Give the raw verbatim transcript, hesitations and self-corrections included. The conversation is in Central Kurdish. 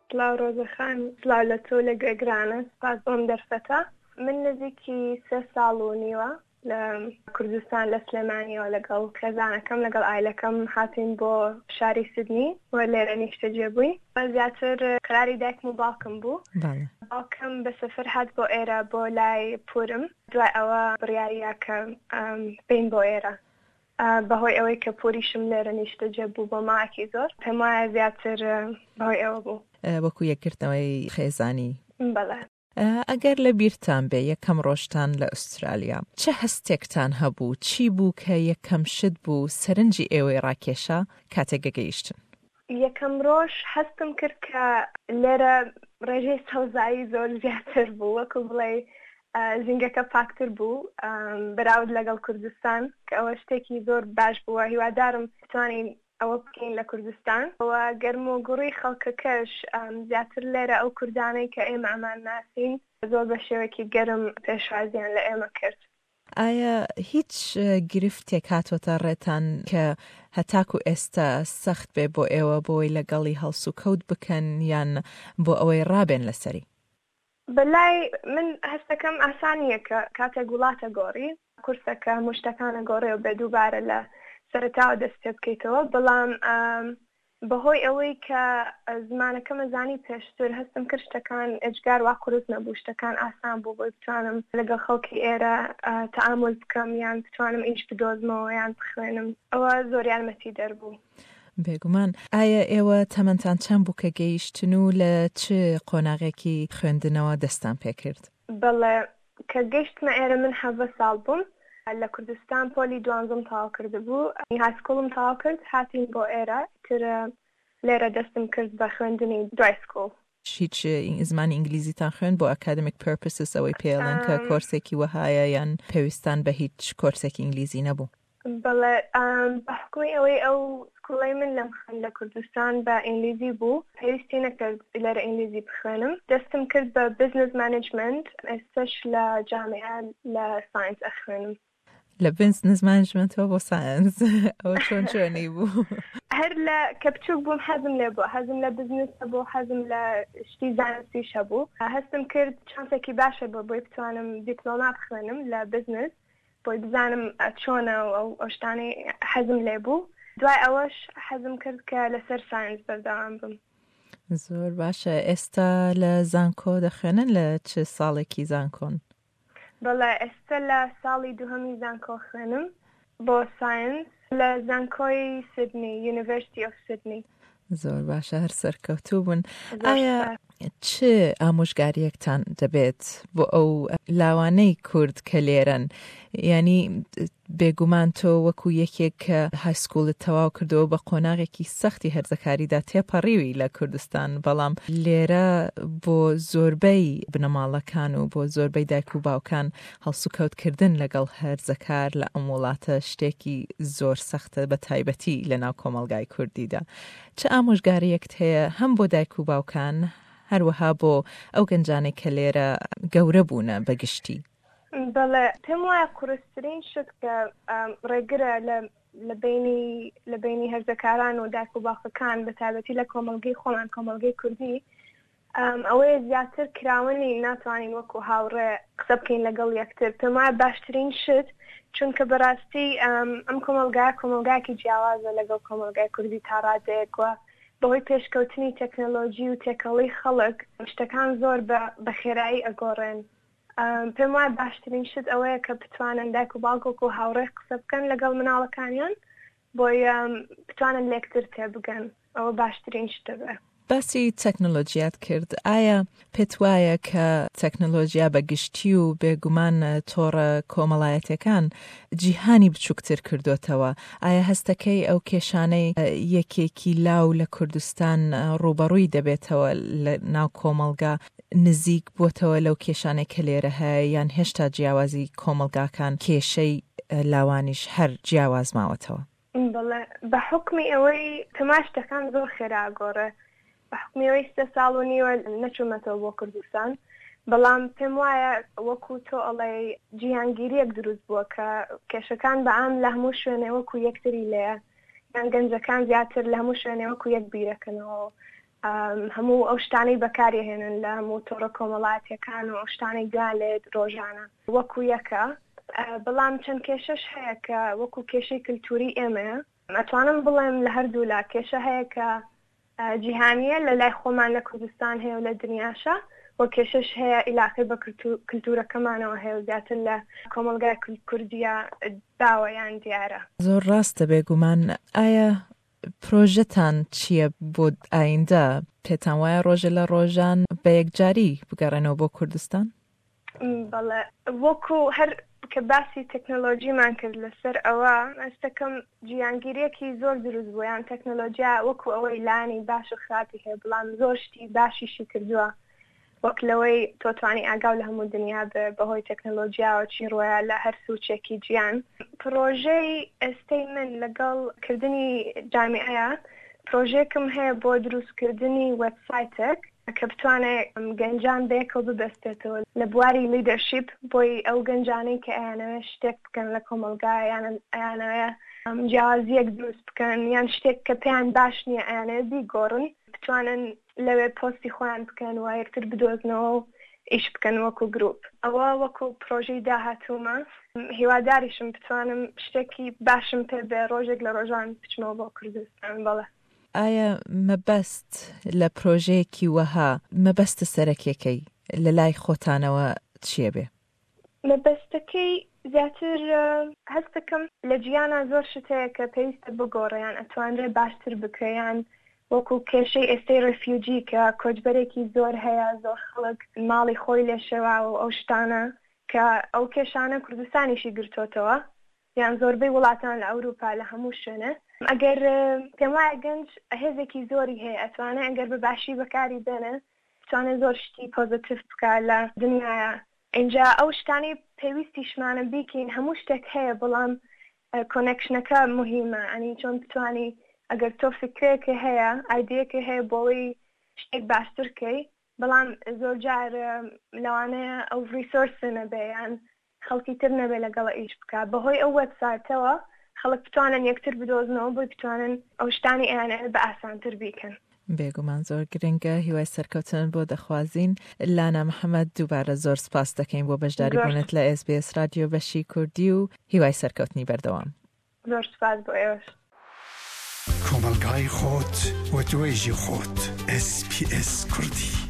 سڵاو ڕۆزە خان، سڵاو لە تۆ لە گوێگرانە، سپاس بۆم دەرفەتە. من نزیکی سێ ساڵ و نیوە لە کوردستان لە سلێمانیەوە لەگەڵ خێزانەکەم، لەگەڵ ئایلەکەم هاتین بۆ شاری سیدنی و لێرە نیشتەجێ بووین. زیاتر قراری دایکم و باوکم بوو. باوکم بە سەفەر هات بۆ ئێرە بۆ لای پورم، دوای ئەوە بڕیاریا کە بین بۆ ئێرە. بەهۆی ئەوەی کە پوریشم لێرە نیشتەجێ بوو بۆ ماوەیەکی زۆر، پێم وایە زیاتر بەهۆی ئەوە بوو. وەکو یەکگرتنەوەی خێزانی. بەڵێ. ئەگەر لە بیرتان بێ یەکەم ڕۆژتان لە ئوسترالیا چ هەستێکتان هەبوو؟ چی بوو کە یەکەم شت بوو سەرنجی ئێوەی ڕاکێشا کاتێک گەیشتن؟ یەکەم ڕۆژ هەستم کرد کە لێرە ڕێژەی سەوزایی زۆر زیاتر بوو، وەکو بڵێ ژینگەکە پاکتر بوو بەراورد لەگەڵ کوردستان، کە ئەوە شتێکی زۆر باش بووە. هیوادارم بتوانین ئەوە بکەین لە کوردستان. و گەرم و گوڕی خەڵکەکەش زیاتر لێرە ئەو کوردانەی کە ئێمە ئەمان ناسین زۆر بە شێوەیەکی گەرم پێشوازیان لە ئێمە کرد. ئایا هیچ گرفتێک هاتووەتە ڕێتان کە هەتاکو ئێستا سەخت بێ بۆ ئێوە بۆی لەگەڵی هەڵسوکەوت بکەن یان بۆ ئەوەی ڕابێن لەسەری؟ بەلای من هەستەکەم ئاسانیە کە کاتێک وڵاتە گۆڕی کورسەکە مشتەکانە گۆڕێ و بێ دووبارە لە سەرەتاوە دەست پێ بکەیتەوە، بەڵام بەهۆی ئەوەی کە زمانەکەمە زانی پێشتر هەستم کرد شتەکان ئێجگار وا قورس نەبوو، شتەکان ئاسان بوو بۆی بتوانم لەگەڵ خەڵکی ئێرە تەعامول بکەم یان بتوانم ئیش بدۆزمەوە یان بخوێنم. ئەوە زۆر یارمەتی دەربوو. بێگومان. ئایا ئێوە تەمەنتان چەند بوو کە گەیشتن و لە چ قۆناغێکی خوێندنەوە دەستان پێکرد؟ بەڵێ، کە گەیشتمە ئێرە من حەڤدە ساڵ بووم. لە کوردستان پۆلی دوانزەم تەواو کردبوو، high school م تەواو کرد، هاتین بۆ ئێرە، تر لێرە دەستم کرد بە خوێندنی دوای school. هیچ زمانی ئینگلیزیتان خوێند بۆ academic purposes ئەوەی پێڵێن کە کۆرسێکی وەهایە یان پێویستان بە هیچ کۆرسێکی ئینگلیزی نەبوو؟ بەڵێ، بە حکومی ئەوەی ئەو school ەی من لەم خوێند لە کوردستان بە ئینگلیزی بوو، پێویستی نەکرد لێرە ئینگلیزی بخوێنم. دەستم کرد بە business management، ئێستاش لە جامیعە لە science ئەخوێنم. لە business management ەوە بۆ science ئەوە چۆن چۆنی بوو؟ هەر لە کە بچووک بووم حەزم لێ بوو، حەزم لە بزنس هەبوو، حەزم لە شتی زانستیش هەبوو. هەستم کرد چانسێکی باشە بۆ بۆی بتوانم دیپلۆما بخوێنم لە بزنس، بۆی بزانم چۆنە و ئەو شتانەی حەزم لێ بوو. دوای ئەوەش حەزم کرد کە لەسەر science بەردەوام بم. زۆر باشە. ئێستا لە زانکۆ دەخوێنن؟ لە چ ساڵێکی زانکۆن؟ بەڵێ، ئێستا لە ساڵی دووهەمی زانکۆ خوێنم بۆ science لە زانکۆی سیدنی، University of Sydney. زۆر باشە، هەر سەرکەوتوو بوون. ئایا چ ئامۆژگاریەکتان دەبێت بۆ ئەو لاوانەی کورد کە لێرەن؟ ینی بێگومان تۆ وەکو یەکێک کە high school ت تەواو کردەوە بە قۆناغێکی سەختی هەرزەکاریدا تێپەڕیوی لە کوردستان، بەڵام لێرە بۆ زۆربەی بنەماڵەکان و بۆ زۆربەی دایک و باوکان هەڵسوکەوتکردن لەگەڵ هەرزەکار لە ئەم وڵاتە شتێکی زۆر سەختە، بە تایبەتی لە ناو کۆمەڵگای کوردیدا. چ ئامۆژگاریەکت هەیە هەم بۆ دایک و باوکان، هەروەها بۆ ئەو گەنجانەی کە لێرە گەورە بوونە بە گشتی؟ بەڵێ، پێم وایە قورسترین شت کە ڕێگرە لە لە بینی لە بینی هەرزەکاران و دایک و باوکەکان، بە تایبەتی لە کۆمەڵگەی خۆمان، کۆمەڵگەی کوردی، ئەوەیە زیاتر کراوەنی ناتوانین وەکو هاوڕێ قسە بکەین لەگەڵ یەکتر. پێم وایە باشترین شت، چونکە بەڕاستی ئەم کۆمەڵگا کۆمەڵگاکی جیاوازە لەگەڵ کۆمەڵگای کوردی تا ڕادەیەک، وە بەهۆی پێشکەوتنی تەکنەلۆژی و تێکەڵی خەڵک شتەکان زۆر بە خێرایی ئەگۆڕێن. پێم وایە باشترین شت ئەوەیە کە بتوانن دایک و باوک وەکو هاوڕێ قسە بکەن لەگەڵ مناڵەکانیان، بۆی بتوانن لێکتر تێبگەن. ئەوە باشترین شتە بێ. باسی تەکنۆلۆژیات کرد، ئایا پێت وایە کە تەکنۆلۆژیا بە گشتی و بێگومان تۆڕە کۆمەڵایەتەکان جیهانی بچووکتر کردوتەوە؟ ئایا هەستەکەی ئەو کێشانەی یەکێکی لاو لە کوردستان ڕووبەڕووی دەبێتەوە لە ناو کۆمەڵگا نزیک بووتەوە لەو کێشانەی کە لێرە هەیە، یان هێشتا جیاوازی کۆمەڵگاکان کێشەی لاوانیش هەر جیاواز ماوەتەوە؟ بەڵێ، بە حکمی ئەوەی تەما شتەکان زۆر خێرا گۆڕێ، بە حکمی ئەوەی سێ ساڵ و نیوە نەچوومەتەوە بۆ کوردستان، بەڵام پێم وایە وەکو تۆ ئەڵێ جیهانگیریەک دروست بووە کە کێشەکان بە عام لە هەموو شوێنێ وەکو یەکتری لێیە، یان گەنجەکان زیاتر لە هەموو شوێنێ وەکو یەک بیرەکەنەوە. هەموو ئەو شتانەی بەکارهێنن لە هەموو تۆڕە کۆمەڵایەتیەکان و ئەو شتانەی گوێیان لێت ڕۆژانە وەکو یەکە. بەڵام چەند کێشەش هەیە کە وەکو کێشەی کللتوری ئێمەیە. ئەتوانم بڵێم لە هەردوو لا کێشە هەیە کە جیهانیە لە لای خۆمان لە کوردستان هەیە و لە دنیاشە، و کێشەش هەیە ئیلاقی بە کللتورەکەمانەوە هەیە و زیاتر لە کۆمەڵگای کوردیە باوە یان دیارە. زۆر ڕاستە بێگومان. ئایا پرۆژەتان چییە بۆ ئایندە؟ پێتان وایە ڕۆژە لە ڕۆژان بە یەکجاری بگەڕێنەوە بۆ کوردستان؟ بەڵێ، وەکو هەر کە باسی تەکنەلۆژیمان کرد لەسەر ئەوە، ئەستەکەم جیهانگیریەکی زۆر دروست بوو. یان تەکنەلۆژیا وەکو ئەوەی لانی باش و خراپی هەیە، بەڵام زۆر شتی باشیشی کردووە، وەک لەوەی تۆ توانی ئاگاو لە هەموو دنیا بێ بەهۆی تەکنەلۆژیاوە چی ڕۆیە لە هەر سوچێکی جیان. پرۆژەی ئێستەی من لەگەڵ کردنی جامیعەیە، پرۆژێکم هەیە بۆ دروستکردنی وێبسایتێک کە بتوانێت گەنجان بەیەکەوە ببەستێتەوە لە بواری leadership، بۆی ئەو گەنجانەی کە ئەیانەوێت شتێک بکەن لە کۆمەڵگا، یان ئەیانەوێت جیاوازیەک دروست بکەن، یان شتێک کە پێیان باش نییە ئەیانەوێت بیگۆڕن، بتوانن لەوێ پۆستی خۆیان بکەن و یەکتر بدۆزنەوە و ئیش بکەن وەکو گروپ. ئەوە وەکو پرۆژەی داهاتوومە. هیواداریشم بتوانم شتێکی باشم پێ بێ ڕۆژێک لە ڕۆژان بچمەوە بۆ کوردستان. بەڵێ. ئایا مەبەست لە پرۆژەیەکی وەها، مەبەستە سەرەکیەکەی لە لای خۆتانەوە چییە بێ؟ مەبەستەکەی زیاتر هەستەکەم لە جیهانا زۆر شت هەیە کە پێویستە بگۆڕێ، یان ئەتوانرێ باشتر بکرێ، یان وەکو کێشەی ئێستەی refugee کە کۆچبەرێکی زۆر هەیە، زۆر خەڵک ماڵی خۆی لێشێوا و ئەو شتانە کە ئەو کێشانە کوردستانیشی گرتۆتەوە، یان زۆربەی وڵاتان لە ئەوروپا لە هەموو شوێنێ. ئەگەر پێم وایە گەنج هێزێکی زۆری هەیە، ئەتوانێت ئەگەر بە باشی بەکاری بێنێ بتوانێت زۆر شتی positive بکە لە دنیاە. اینجا ئەو شتانەی پێویستیشمانە بیکەین، هەموو شتێک هەیە، بەڵام connection ەکە مهمە. ئەنی چۆن بتوانی ئەگەر تۆ فکرێکی هەیە، idea یەکی هەیە بۆەوەی شتێک باشتر کەی، بەڵام زۆر جار لەوانەیە ئەو resource نەبێ یان خەڵکی تر نەبێ لەگەڵ ئیش بکە. بەهۆی ئەو وێبسایتەوە خەڵک بتوانن یەکتر بدۆزنەوە بۆی بتوانن ئەو شتانی ئەیانەوێت بە ئاسانتر بیکەن. بێگومان زۆر گرنگە. هیوای سەرکەوتن بۆ دەخوازین. لانا محەممەد، دووبارە زۆر سپاس دەکەین بۆ بەشداری بوونت لە ئێس بی ئێس رادیۆ بەشی کوردی و هیوای سەرکەوتنی بەردەوام. زۆر سپاس بۆ ئێوەش. کۆمەڵگای خۆت و توێژی خۆت، ئێس پی ئێس کوردی.